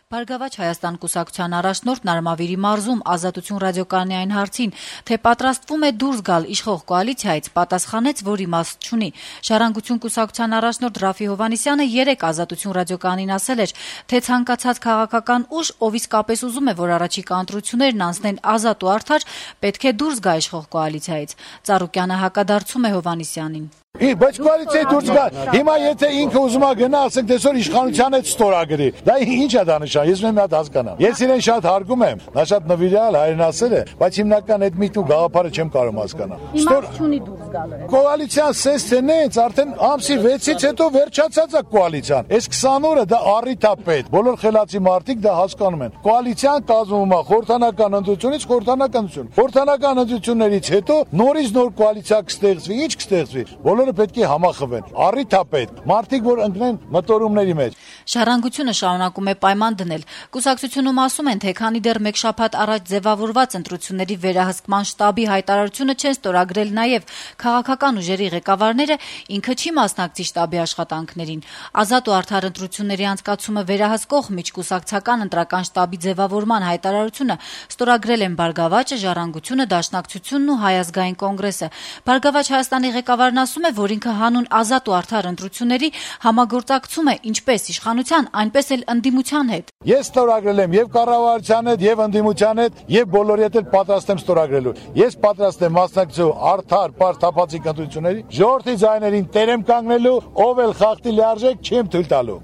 Բարգավաճ Հայաստան կուսակցության առաջնորդ Նարմավիրի մարզում Ազատություն ռադիոկայանի այն հարցին, թե պատրաստվում է դուրս գալ իշխող կոալիցիայից, պատասխանեց, որ իմաստ չունի։ Ժառանգություն կուսակցության առաջնորդ Ռաֆի Հովհաննիսյանը երեկ Ազատություն ռադիոկայանին ասել էր, թե ցանկացած քաղաքական ուժ, ով իսկապես ուզում է, որ առաջիկա ընտրություններն անցնեն ազատ ու արդար, պետք է դուրս գա իշխող կոալիցիայից։ Ծառուկյանը հակադարձում է Հովհաննիսյանին։ Բայց կոալիցիայի դուրս գա։ Հիմա եթե ինքը ուզում է գնա, ասենք դեսօր իշխանության հետ ստորագրի։ Դա ինչ է դա նշան։ Ես մի հատ հասկանամ։ Ես իրեն շատ հարգում եմ, նա շատ նվիրալ հայրենասեր է, բայց հիմնական այդ միտում գաղափարը չեմ կարող հասկանալ։ Իմաստ չունի դուրս գալը։ Կոալիցիան սես թե նենց արդեն ամսի 6-ից հետո վերջացած է կոալիցիան։ Այս 20 օրը դա առիթ է պետք։ Բոլոր խելացի մարդիկ դա հասկանում են։ Կոալիցիան կազմվում է խորհրդանական ընտրությունից խորհրդանական ընտրություն։ Խորհրդանական ընտրություններից հետո նորից նոր կոալիցիա կստեղծվի, ինչ կստեղծվի։ Բոլորը պետք է համախմբեն։ Առիթ է պետք։ Մարդիկ որ ընկնեն մտորումների մեջ։ Ժառանգությունը շարունակում է պայման դնել։ Կուսակցությունում ասում են, թե քանի դեռ մեկ շաբաթ առաջ ձևավորված ընտրությունների վերահսկման շտաբի հայտարարությունը չեն ստորագրել նաև քաղաքական ուժերի ղեկավարները, ինքը չի մասնակցի շտաբի աշխատանքներին։ Ազատ ու արդար ընտրությունների անցկացումը վերահսկող միջկուսակցական ընտրական շտաբի ձևավորման հայտարարությունը ստորագրել են Բարգավաճը, Ժառանգությունը, Դաշնակցությունն ու Հայ ազգային կոնգրեսը։ Բարգավաճ Հայաստանի ղեկավարն ասում է, որ ինքը հանուն ազատ ու արդար ընտրությունների համագործակցում է ինչպես իշխանության, այնպես էլ ընդդիմության հետ։ Ես ստորագրել եմ եւ կառավարության հետ, եւ ընդդիմության հետ, եւ բոլորի հետ էլ պատրաստ եմ ստորագրելու։ Ես պատրաստ եմ մասնակցելու արդար, պարզ թափանցիկ ընտրությունների, ժողովրդի ձայներին տեր եմ կանգնելու, ով էլ խախտի լիարժեք չեմ թույլ տալու։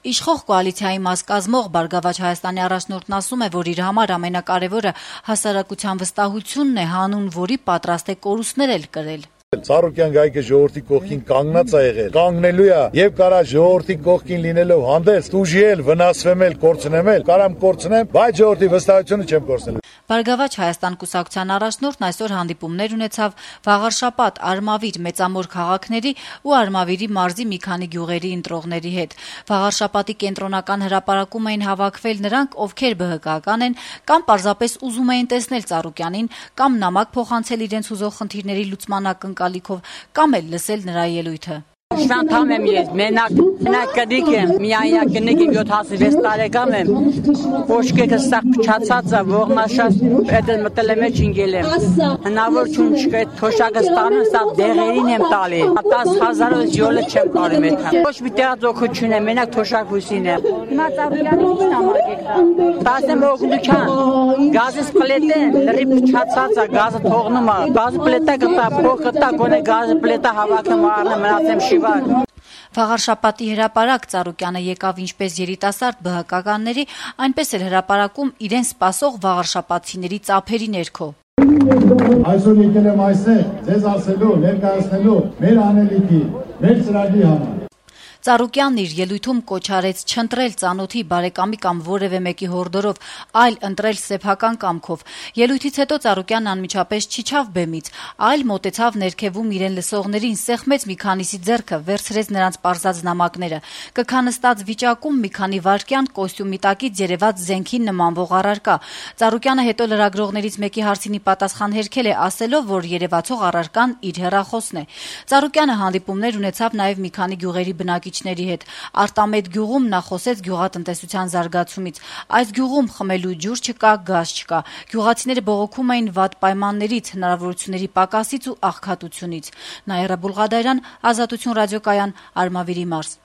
Իշխող կոալիցիայի մաս կազմող Բարգավաճ Հայաստանի առաջնորդն ասում է, որ իր համար ամենակարևորը հասարակության վստահությունն է, հանուն որի պատրաստ է կորուստներ էլ կրել։ Ծառուկյան գայքը ժողովրդի կողքին կանգնած է եղել, կանգնելու է եւ կարա ժողովրդի կողքին լինելով հանդես դուժիել, վնասվեմ էլ, կորցնեմ, կարամ կորցնեմ, բայց ժողովրդի վստահությունը չեմ կորցնելու։ Բարգավաճ Հայաստան կուսակցության առաջնորդն այսօր հանդիպումներ ունեցավ Վաղարշապատ, Արմավիր, Մեծամոր քաղաքների ու Արմավիրի մարզի մի քանի գյուղերի ընտրողների հետ։ Վաղարշապատի կենտրոնական հրապարակում էին հավաքվել նրանք, ովքեր ԲՀԿ-ական են կամ պարզապես ուզում էին տեսնել Ծառուկյանին կամ նամակ փոխանցել իրենց ուզող խնդիրների լուծման ակնկալիքով կամ էլ լսել նրա ելույթը։ Շանթամ եմ ես, մենակ կդիկ եմ, միայնակ կնիկ եմ 76 տարեկան եմ, ոչկեքը սաղ փչացած է, ողնաշած այդ մտել եմ էջ ինգել եմ, հնավոր չուն չկա այդ թոշակը ստանում, սա դեղերին եմ տալի, 10,000 յոլը չեմ կարում էդ համ, ոչ մի տեղածոքություն եմ, մենակ թոշակ հուսին եմ, հիմա Ծառուկյանը ինչ նամակ եք տա։ տասեմ օգնության, գազից պլետը լրի փչացած է, գազը թողնում է, գազը պլետը կտա, փող կտա, գոնե գազը պլետը հավաքում առնեմ, մնացեմ շիվար։ Վաղարշապատի հրապարակ Ծառուկյանը եկավ ինչպես երիտասարդ ԲՀԿ-ականների, այնպես էլ հրապարակում իրեն սպասող վաղարշապատցիների ծափերի ներքո։ Այսօր եկել եմ այստեղ ձեզ ասելու, ներկայացնելու մեր անելիքի, մեր ծրագրի համար։ Ծառուկյանն իր ելույթում կոչ արեց չընտրել ծանոթի բարեկամի կամ որևէ մեկի հորդորով, այլ ընտրել սեփական կամքով։ Ելույթից հետո Ծառուկյանն անմիջապես չիջավ բեմից, այլ մոտեցավ ներքևում իրեն լսողներին, սեղմեց մի քանիսի ձեռքը, վերցրեց նրանց պարզած նամակները։ Կքանստած վիճակում մի քանի վայրկյան կոստյումի տակից երևաց զենքին նմանվող առարկա։ Ծառուկյանը հետո լրագրողներից մեկի հարցինի պատասխան հերքել է, ասելով, որ երևացող առարկան իր հեռախոսն է։ Ծառուկյանը հանդիպումներ ունեցավ նաև մի քանի գյուղերի բնակիչների հետ։ Արտամետ գյուղում նա խոսեց գյուղատնտեսության զարգացումից։ Այս գյուղում խմելու ջուր չկա, գազ չկա։ Գյուղացիները բողոքում էին վատ պայմաններից, հնարավորությունների պակասից ու աղքատությունից։ Նաիրա Բուլղադարյան, Ազատություն ռադիոկայան, Արմավիրի մարզ։